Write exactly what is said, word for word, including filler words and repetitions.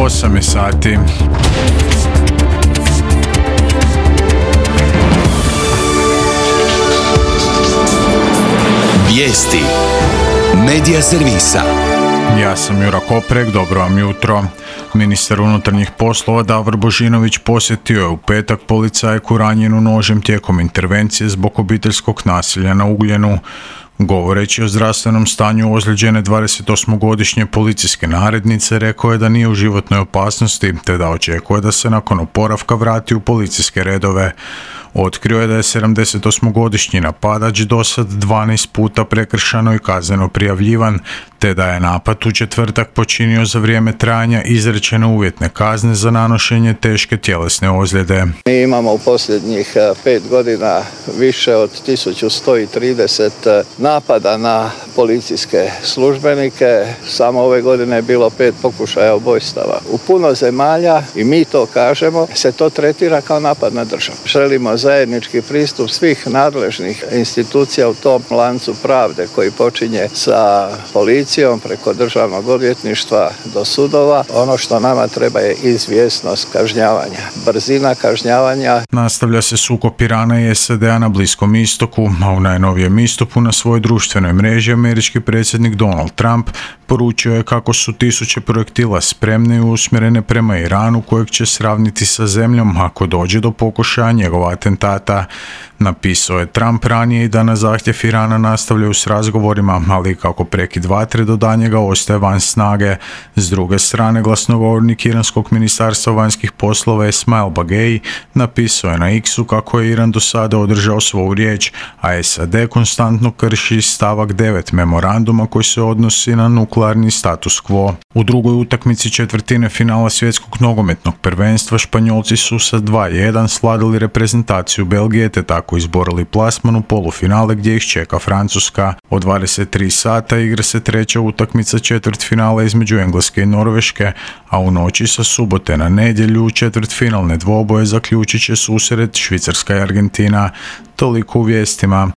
osam je sati. Vijesti Medija servisa. Ja sam Jura Koprek, dobro vam jutro. Ministar unutarnjih poslova Davor Božinović posjetio je u petak policajku ranjenu nožem tijekom intervencije zbog obiteljskog nasilja na Ugljenu. Govoreći o zdravstvenom stanju ozlijeđene dvadesetosmogodišnje policijske narednice, rekao je da nije u životnoj opasnosti, te da očekuje da se nakon oporavka vrati u policijske redove. Otkrio je da je sedamdesetosmogodišnji napadač dosad dvanaest puta prekršano i kazneno prijavljivan, te da je napad u četvrtak počinio za vrijeme trajanja izrečene uvjetne kazne za nanošenje teške tjelesne ozljede. Mi imamo u posljednjih pet godina više od tisuću sto trideset napada na policijske službenike. Samo ove godine je bilo pet pokušaja ubojstava. U puno zemalja, i mi to kažemo, se to tretira kao napad na državu. Želimo zajednički pristup svih nadležnih institucija u tom lancu pravde koji počinje sa policijom preko državnog odvjetništva do sudova. Ono što nama treba je izvjesnost kažnjavanja, brzina kažnjavanja. Nastavlja se sukob Irana i S A D-a na Bliskom istoku, a u najnovijem istupu na svojoj društvenoj mreži američki predsjednik Donald Trump poručio je kako su tisuće projektila spremne i usmjerene prema Iranu, kojeg će sravniti sa zemljom ako dođe do pokušaja njegova atentata. Napisao je Trump ranije i da na zahtjev Irana nastavljaju s razgovorima, ali kako prekid vatre do danjega ostaje van snage. S druge strane, glasnogovornik iranskog ministarstva vanjskih poslova Esmail Bagei napisao je na X-u kako je Iran do sada održao svoju riječ, a S A D konstantno krši stavak devet memoranduma koji se odnosi na nuklearni status quo. U drugoj utakmici četvrtine finala svjetskog nogometnog prvenstva Španjolci su sa dva jedan sladili reprezentaciju Belgije te tako izborili plasman u polufinale gdje ih čeka Francuska. Od dvadeset tri sata igra se treća utakmica četvrtfinala između Engleske i Norveške, a u noći sa subote na nedjelju četvrtfinalne dvoboje zaključit će susret Švicarska i Argentina. Toliko u vijestima.